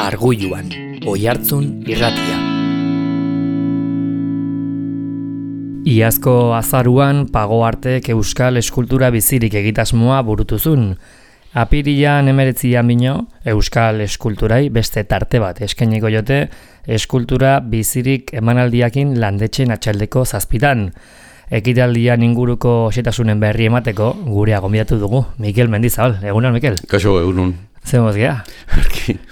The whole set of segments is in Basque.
Argulluan, Oihartzun irratia. Iazko azaruan Pagoartek euskal eskultura bizirik egitasmoa burutuzun. Apirilan 19 bino, euskal eskulturai beste tarte bat eskainiko jote, eskultura bizirik emanaldiakin landetxen atxaldeko zazpitan. Ekitaldian inguruko xetasunen berri emateko gurea gonbidatu dugu, Mikel Mendizabal. Egunon, Mikel? Kaixo, egunon. Zer moz gea?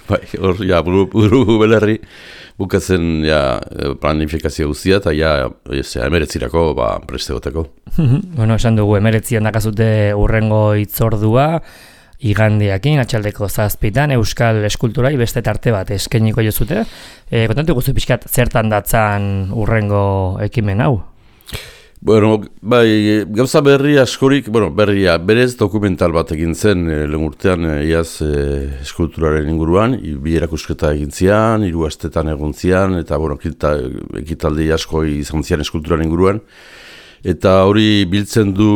Bai, hor, buru belerri, bukatzen planifikazio guztia, eta 19 preste goteko. Bueno, esan dugu 19 dakazute urrengo hitzordua, igandeakin, atxaldeko zazpitan, euskal eskulturai beste tarte bat eskainiko jozute. Kontatu guztu pixkat zertan datzan urrengo ekimen hau? Bueno, bai, gauza berri askorik, berria, berez dokumental bat egin zen lehen urtean iaz eskulturaren inguruan, bi erakusketa egin zian, 3 astetan egon zian, eta ekitaldi asko izan zian eskulturaren inguruan, eta hori biltzen du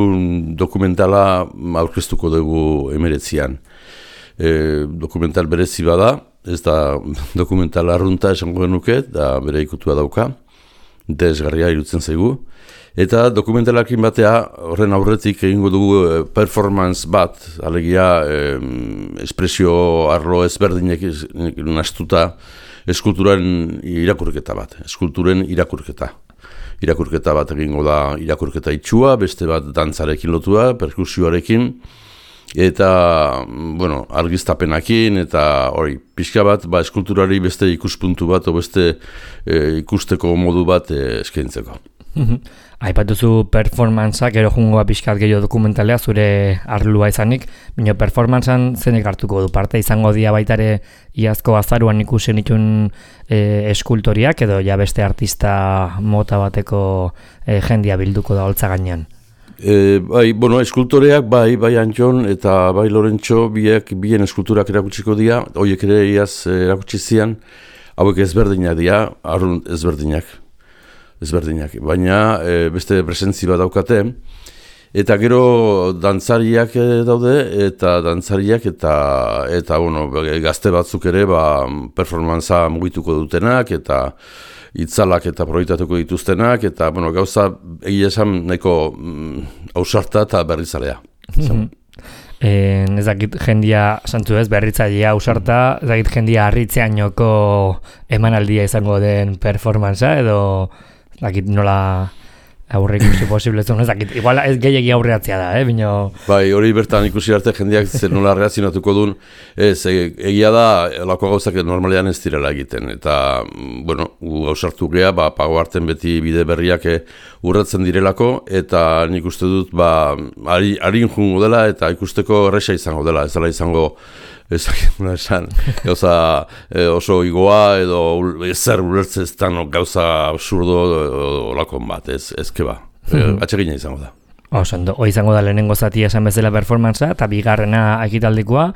dokumentala aurkeztuko dugu 19an. Dokumental berezi bada, ez da dokumental arrunta esango genuke, da bere ikutua dauka, desgarria irutzen zaigu. Eta dokumentalakin batea, horren aurretik egingo dugu performance bat, alegia espresio arlo ezberdinek nastuta eskulturen irakurketa bat, eskulturen irakurketa. Irakurketa bat egingo da irakurketa itxua, beste bat dantzarekin lotua, perkusioarekin, eta argiztapenakin, eta hori, pixka bat, eskulturari beste ikuspuntu bat, o beste ikusteko modu bat eskaintzeko. Aipatuzu performantzak, gero jungoa pixkat gehiago dokumentalea, zure arlua izanik, baina performantzan zenek hartuko du parte, izango dia baitare iazko azaruan ikusen itun eskultoriak, edo ja beste artista mota bateko jendia bilduko da holtza gainean. Eskultoreak bai Antxon eta bai Lorentxo bien eskulturak erakutsiko dira, horiek ere iaz erakutsi zian, hauek ezberdinak dira, arrunt ezberdinak, baina beste presentzi bat daukate, eta gero dantzariak daude, eta gazte batzuk ere performantza mugituko dutenak, eta itzalak eta proiektatuko dituztenak, eta gauza egia esan nahiko ausarta eta berrizalea. Ez dakit jendia, santu ez, berritzailea ausarta, ez dakit jendia harritzeainoko emanaldia izango den performantza, edo dakit nola aurre ikusi posible zuen, ez dakit, igual ez gehiagi aurreatzea da, bino... Bai, hori bertan ikusi arte jendeak zer nola reazionatuko duen, egia da, lako gauzak normalean ez direla egiten, eta, gauzartu gea, Pagoarten beti bide berriak urratzen direlako, eta nik uste dut, harin jungo dela, eta ikusteko erresa izango dela, ez dela izango, gauza oso igoa edo ezer ulertzeztan gauza absurdo olakon bat, ezke atsegina izango da. Hoi izango da lehenengo zatia esan bezala performantza, eta bigarrena ekitaldikoa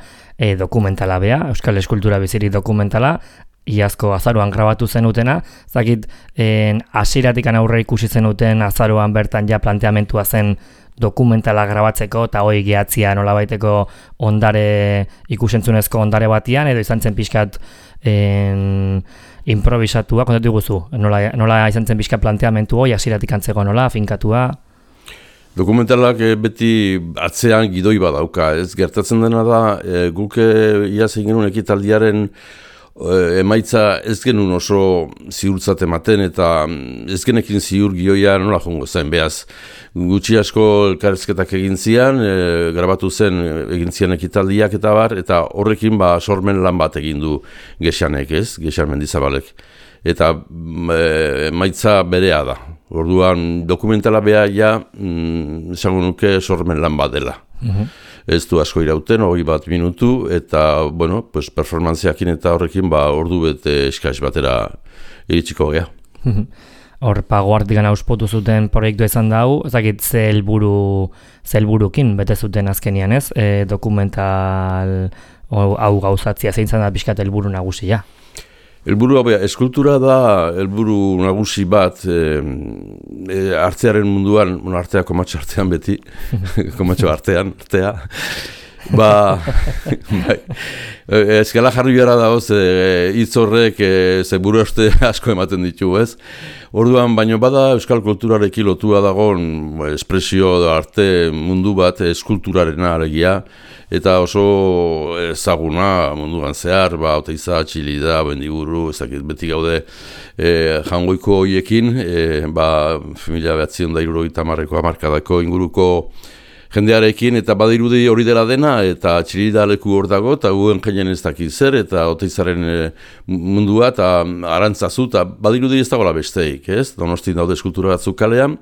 dokumentala bea, euskal eskultura bizirik dokumentala, iazko azaroan grabatu zenutena, zakit hasieratikan aurre ikusi zenuten azaroan bertan ja planteamentua zen dokumentala grabatzeko, eta hoi gehatzia nolabaiteko ikusentzunezko ondare batian, edo izan zen pixkat improvisatua, kontatu guzu, nola izan zen pixkat planteamentu hoi, hasieratik antzeko nola, finkatua? Dokumentalak beti atzean gidoi badauka, ez gertatzen dena da, guk iaz egin genuen ekitaldiaren emaitza ez genuen oso ziurtzat ematen, eta ez genekin ziur gioia nola jongo zen, behaz gutxi asko elkarrezketak egin zian, grabatu zen egin zian ekitaldiak eta bar, eta horrekin sormen lan bat egin du Gexanek, Gexan Mendizabalek, eta emaitza berea da. Orduan dokumentala beha esango nuke sormen lan bat dela. Ez du asko irauten, 21 minutu, eta, performantziakin eta horrekin, ordu bete eskaz batera iritsiko gea. Hor, Pagoartikan auspotu zuten proiektua izan da hau, ezakit ze helburukin bete zuten azkenian, ez? Dokumental hau gauzatzia zein zan da pixkat helburu nagusia. Eskultura da helburu nagusi bat artearen munduan, artea komatxo artean beti, komatxo artea, Bai, eskala jarri behar dago, hitz horrek ze buru uste asko ematen ditu, ez? Orduan, baino bada euskal kulturarekin lotua dagoen espresio arte mundu bat eskulturarena alegia, eta oso ezaguna munduan zehar, Oteiza, Txilida, Bendiburu, ezakit beti gaude jangoiko hoiekin, 1970ko hamarkadako inguruko jendearekin, eta badirudi hori dela dena, eta Txilida leku hor dago, eta guen jeinen ez dakit zer, eta Oteizaren mundua, eta arantzazu, eta badirudi ez dagoela besteik, ez? Donostin daude eskultura batzuk kalean,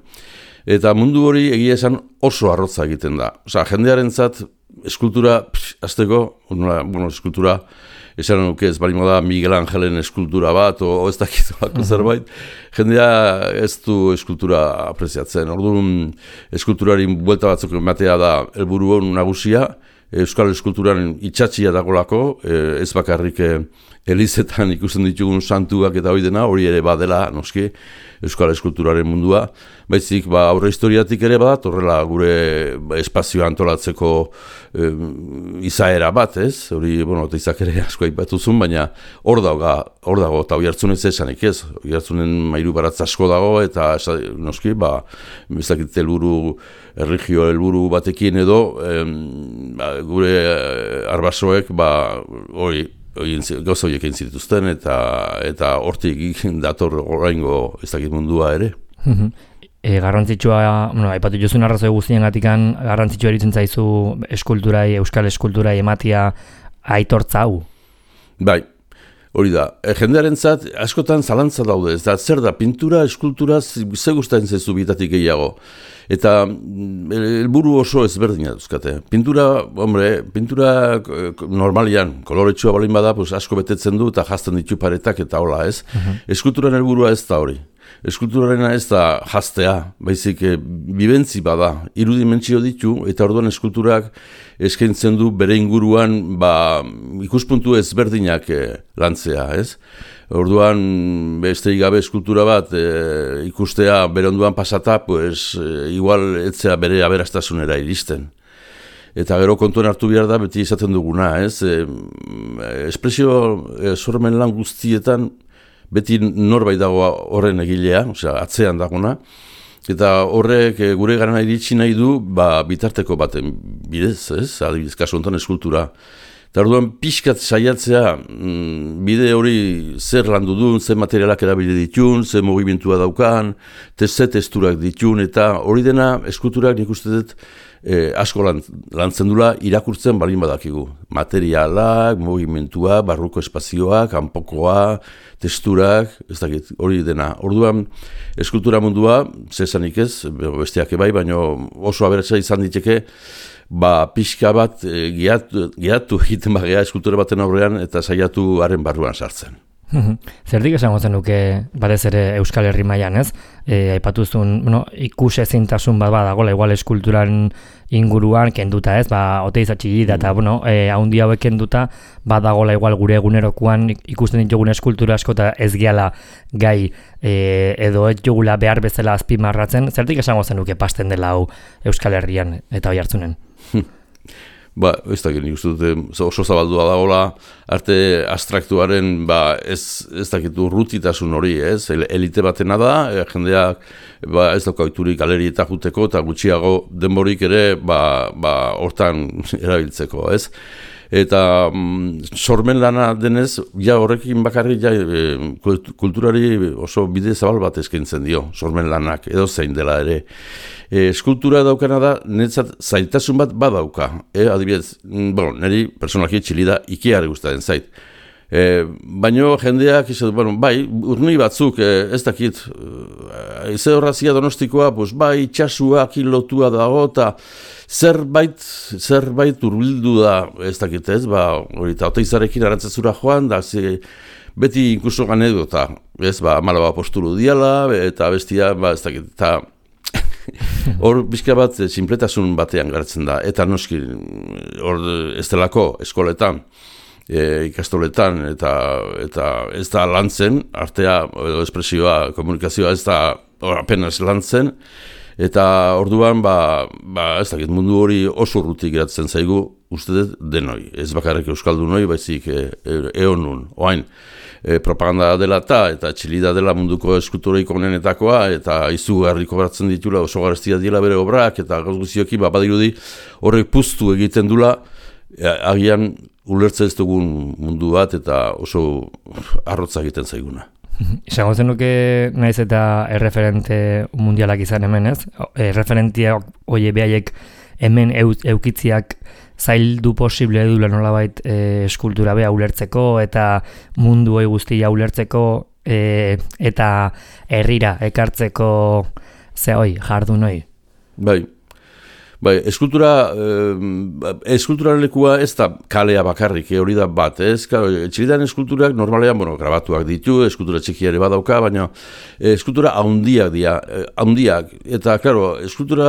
eta mundu hori egia esan oso arrotza egiten da. Osa, jendearentzat eskultura, azteko, eskultura, esan nuke ez balimo da Miguel Angelen eskultura bat, o ez dakizolako zerbait, jendea ez du eskultura apreziatzen. Orduan, eskulturari buelta batzuk ematea da helburu nagusia, euskal eskulturan itxatxia dagolako, ez bakarrik elizetan ikusten ditugun santuak eta hori dena, hori ere badela, noski, euskal eskulturaren mundua, baizik aurre historiatik ere bat, horrela gure espazioa antolatzeko izaera bat, ez? Hori, Oteizak ere asko aipatuzun, baina hor dago, eta Oiartzun ez esanik ez, Oiartzunen mairu baratz asko dago, eta noski, ez dakit helburu, erregio helburu batekin edo, gure arbasoek, hori, gauza horiek egin zituzten, eta hortik dator oraingo ez dakit mundua ere. Garrantzitsua, aipatu jozun arrazoi guztien gatikan, garrantzitsua eritzen zaizu eskulturai, euskal eskulturai ematia aitortza hau? Bai, hori da. Jendearentzat askotan zalantza daude, ez da, zer da, pintura, eskultura, ze gustatzen zaizu bitatik gehiago. Eta helburu oso ezberdina duzkate. Pintura normalian, koloretsua balin bada, asko betetzen du eta jazten ditu paretak eta hola, ez? Eskulturan helburua ez da hori. Eskulturarena ez da jaztea, baizik bibentzi bada, irudimentsio ditu, eta orduan eskulturak eskaintzen du bere inguruan ikuspuntu ezberdinak lantzea, ez? Orduan, besterik gabe eskultura bat ikustea bere onduan pasata, igual etzea bere aberastasunera iristen. Eta gero kontuan hartu behar da, beti izaten duguna, ez? Espresio sormen lan guztietan, beti norbait dago horren egilea, atzean dagona, eta horrek gure garana iritsi nahi du, bitarteko baten bidez, ez? Adibidez, kasu honetan eskultura. Eta orduan pixkat saiatzea bide hori zer landu duen, zer materialak erabili ditun, zer mugimentua daukan, ze testurak ditun, eta hori dena eskulturak nik uste dut asko lantzen dula irakurtzen balin badakigu. Materialak, mugimentua, barruko espazioak, kanpokoa, testurak, ez dakit, hori dena. Orduan eskultura mundua, zesanik ez, besteak ebai, baina oso aberatsa izan diteke, pixka bat gihatu egiten bagea eskultura baten aurrean eta saiatu haren barruan sartzen. Zerdik esango zenuke batez ere Euskal Herri mailan, ez? Aipatuzun, ikus ezintasun bat badagoela igual eskulturan inguruan kenduta, ez? Oteiza, Txilida eta haundi hauek kenduta badagoela igual gure egunerokoan ikusten ditugun eskultura asko eta ez gehala gai edo ez jogula behar bezala azpimarratzen. Zerdik esango zenuke pasten dela hau Euskal Herrian eta Oiartzunen? Ez dakit, nik uste dute oso zabaldua dagoela arte abstraktuaren ez dakit urrutitasun hori, ez? Elite batena da, jendeak ez dauka oiturik galerietak juteko eta gutxiago denborik ere hortan erabiltzeko, ez? Eta sormen lana denez, horrekin bakarrik kulturari oso bide zabal bat eskaintzen dio, sormen lanak, edo zein dela ere. Eskultura daukana da, netzat zailtasun bat badauka. Adibidez, niri personalki Txilida Ikeari gustatzen zait. Baina jendeak, urni batzuk, ez dakit, ze horrazia Donostikoa, itxasuak lotua dago, eta zerbait urbildu da, ez dakit ez, eta Oteizarekin arantzazura joan, da beti inkuso anekdota, ez, Malaba postulu diala, eta bestia, ez dakit, eta hor bizka bat sinpletasun batean gartzen da, eta noski hor ez delako eskoletan, ikastoletan, eta ez da lantzen, artea, edo espresioa, komunikazioa ez da apenas lantzen, eta orduan, ez dakit mundu hori oso urrutik geratzen zaigu, uste dut denoi, ez bakarrik euskaldunoi, baizik eonun, oain, propaganda dela eta txilida dela munduko eskulturoik onenetakoa, eta izugarriko baratzen ditula, oso garestia dira bere obrak, eta gauz guztioki, badirudi horrek puztu egiten dula, agian ulertze ez dugun mundu bat, eta oso arrotza egiten zaiguna. Izango zenuke naiz eta erreferente mundialak izan hemen, ez? Referentiak oie behaiek hemen eukitziak zaildu posible edula nolabait eskultura beha ulertzeko eta mundu hoi guztia ulertzeko eta herrira ekartzeko jardun hoi. Bai, eskulturaren lekua ez da kalea bakarrik, hori da bat, ez? Txilidan eskulturak normalean, grabatuak ditu, eskultura txikiare badauka, baina eskultura haundiak, eta, klaro, eskultura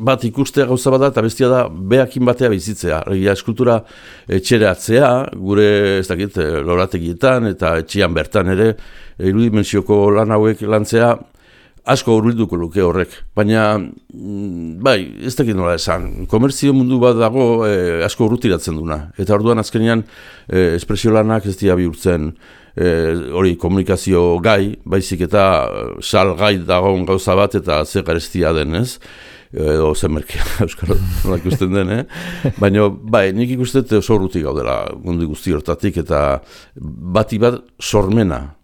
bat ikustea gauza bat da, eta bestia da, behakin batea bizitzea. Eskultura etxeratzea, gure, ez dakit, lorategietan, eta etxian bertan ere, irudimentsioko lan hauek lantzea, asko hurbilduko luke horrek, baina, ez dakit nola esan, komerzio mundu bat dago asko urrutiratzen duna, eta orduan azkenean espresio lanak ez dira bihurtzen hori komunikazio gai, baizik eta salgai dagoen gauza bat eta ze garestia den, ez? Edo zenmerkia, euskara nola ikusten den, baina, nik ikusten oso urruti gaudela mundu guzti hortatik, eta bati bat sormena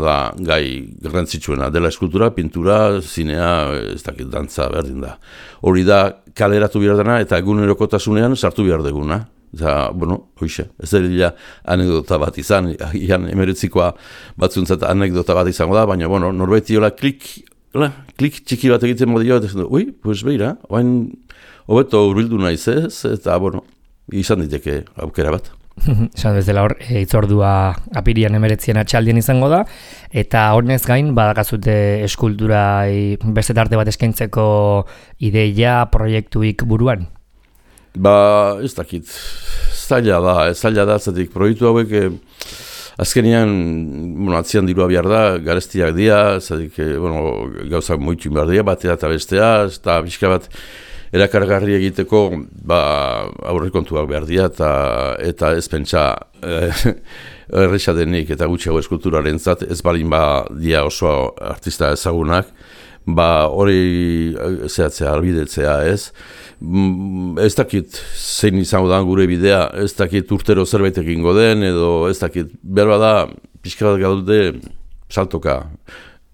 da gai garrantzitsuena, dela eskultura, pintura, zinea, ez dakit, dantza berdin da. Hori da kaleratu behar dena eta egunerokotasunean sartu behar deguna. Eta, hoxe, ez dela anekdota bat izan, ian emeretzikoa batzuntzat anekdota bat izango da, baina, norbeti hola klik txiki bat egiten modio, eta pues beira, oain hobeto hurbildu naiz ez, eta, izan diteke aukera bat. Esan bezala hor, itzordua apirian 19 atxaldien izango da, eta honez gain badakazute eskulturai beste tarte bat eskaintzeko ideia, proiektuik buruan? Ez dakit, zaila da, zatik proiektu hauek azkenean, atzian dirua behar da, garestiak dira, zatik, gauzak moitu behar dira, batea eta bestea, eta pixka bat, erakargarri egiteko aurrekontuak behar dira eta ez pentsa erresa denik eta gutxiago eskulturaren zat, ez balin dia oso artista ezagunak, hori zehatzea, albidetzea ez. Ez dakit zein izango da gure bidea, ez dakit urtero zerbait egingo den, edo ez dakit behar da pixka bat gaude saltoka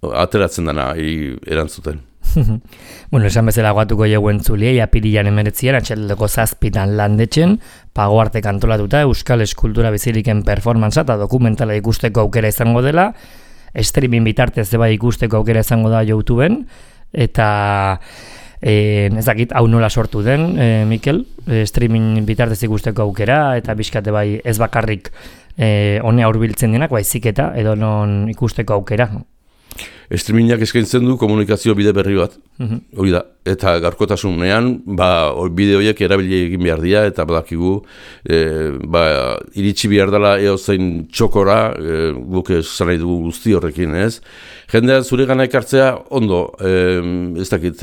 ateratzen dena erantzuten. Esan bezala guatuko jau entzuliei apirilan 19 atxaldeko 7 landetxen, Pago Artek antolatuta Euskal Eskultura Biziliken performantza eta dokumentala ikusteko aukera izango dela, streaming bitartez bai ikusteko aukera izango da YouTubeen, eta ez dakit hau nola sortu den, Mikel, streaming bitartez ikusteko aukera, eta bizkate bai ez bakarrik honea hurbiltzen denak, baizik eta edo non ikusteko aukera. Streamingak eskaintzen du komunikazio bide berri bat, hori da, eta garkotasunean, bide horiek erabili egin behar dira, eta badakigu, iritsi behar dela zein txokora, guk esan nahi dugu guzti horrekin, ez? Jendean zure gana ekartzea, ondo, ez dakit,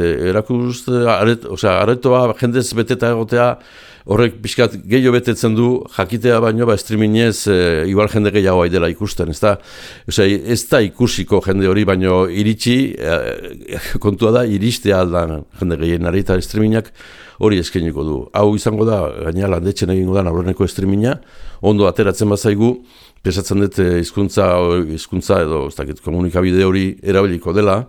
aretoa jendez beteta egotea, horrek pixkat gehiago betetzen du, jakitea baino, streamingez, igual jende gehiago dela ikusten, ez da ikusiko jende hori, baino iritsi, kontua da, iristea aldan jende gehienari, eta streamingak hori eskainiko du. Hau izango da, gaina landetxen egingo da, aurreneko streaminga, ondo ateratzen bazaigu, pesatzen dut hizkuntza edo, ez dakit, komunikabide hori erabiliko dela,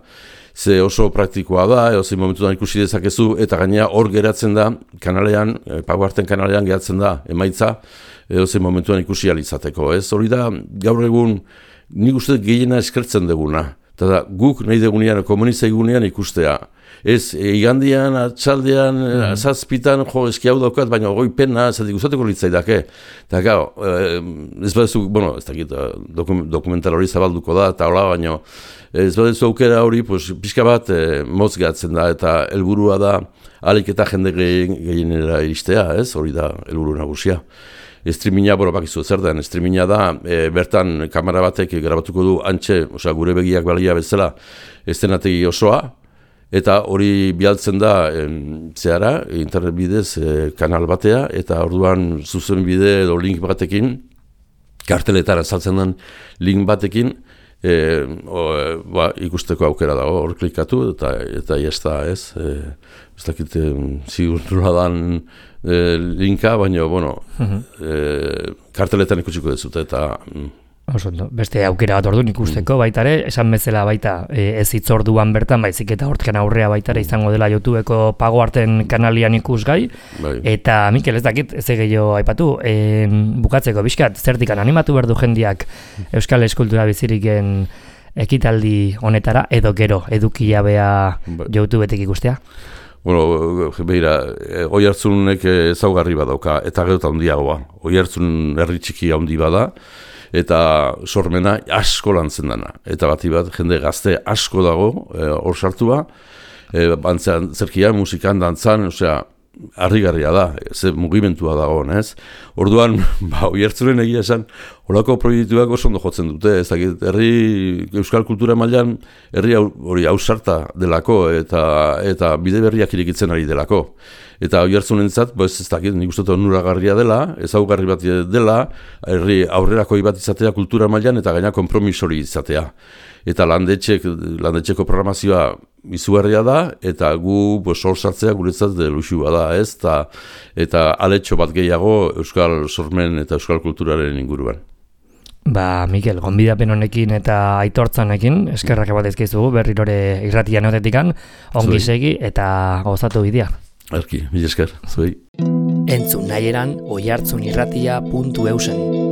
ze oso praktikoa da, zein momentuan ikusi dezakezu, eta gainera hor geratzen da, kanalean, Pago Arten kanalean geratzen da, emaitza, zein momentuan ikusi alizateko, ez? Hori da, gaur egun, nik uste gehiena eskertzen duguna, eta guk nahi dugunean, komunizaigunean ikustea. Ez, igandian, atxaldean, zazpitan, eski hau daukat, baina goi pena, zatik uzateko litzaidake. Eta gau, ez badezu, ez dakit, dokumental hori zabalduko da, eta hola, baina ez badezu aukera hori, pixka bat motz gehatzen da, eta helburua da, alik eta jende gehienera iristea, ez? Hori da, helburu nagusia. Streaminga, bakizu zer den, streaminga da, bertan kamera batek grabatuko du antxe, gure begiak balia bezala, estenategi osoa, eta hori bialtzen da zehara, internet bidez kanal batea, eta orduan zuzen bide edo link batekin, karteletara saltzen den link batekin, ikusteko aukera dago, hor klikatu, eta jazta ez, ez dakit zigurtura dan linka, baina, karteletan ikusiko dezute, eta... Beste aukera bat orduan ikusteko baitare, esan bezala baita ez hitzorduan bertan, baizik eta hortken aurrea baitare izango dela YouTubeko Pago Arten kanalian ikusgai, eta Mikel ez dakit, ez gehiago aipatu, bukatzeko bizkat, zertikan animatu behar du jendiak Euskal Eskultura Biziriken ekitaldi honetara, edo gero, edukilabea YouTubetik ikustea? Bueno, beira, Oiartzunek ezaugarri badauka, eta gero eta handiagoa. Oiartzun herri txiki handi bada, eta sormena asko lantzen dana. Eta bati bat, jende gazte asko dago, hor sartua, bantzean, zerkia, musikan, dantzan, osea, harrigarria da, ze mugimentua dago, ez? Orduan, Oiartzunen egia esan, horako proiektuak oso ondo jotzen dute, ez dakit, herri euskal kultura mailan, herri hori ausarta delako, eta bide berriak irikitzen ari delako. Eta Oiartzunentzat, ez dakit, nik uste onuragarria dela, ezaugarri bat dela, herri aurrerakoi bat izatea kultura mailan, eta gaina konpromisori izatea. Eta landetxeko programazioa izugarria da, eta gu hor sartzea guretzat luxua da, ez? Eta aletxo bat gehiago euskal sormen eta euskal kulturaren inguruan. Mikel, gonbidapen honekin eta aitortzanekin, eskerrak bat ezkizugu, berrirore irratian otetikan, ongi segi eta gozatu bidea. Erki, mila esker, zuei. Entzun nahieran oiartzunirratia.eusen.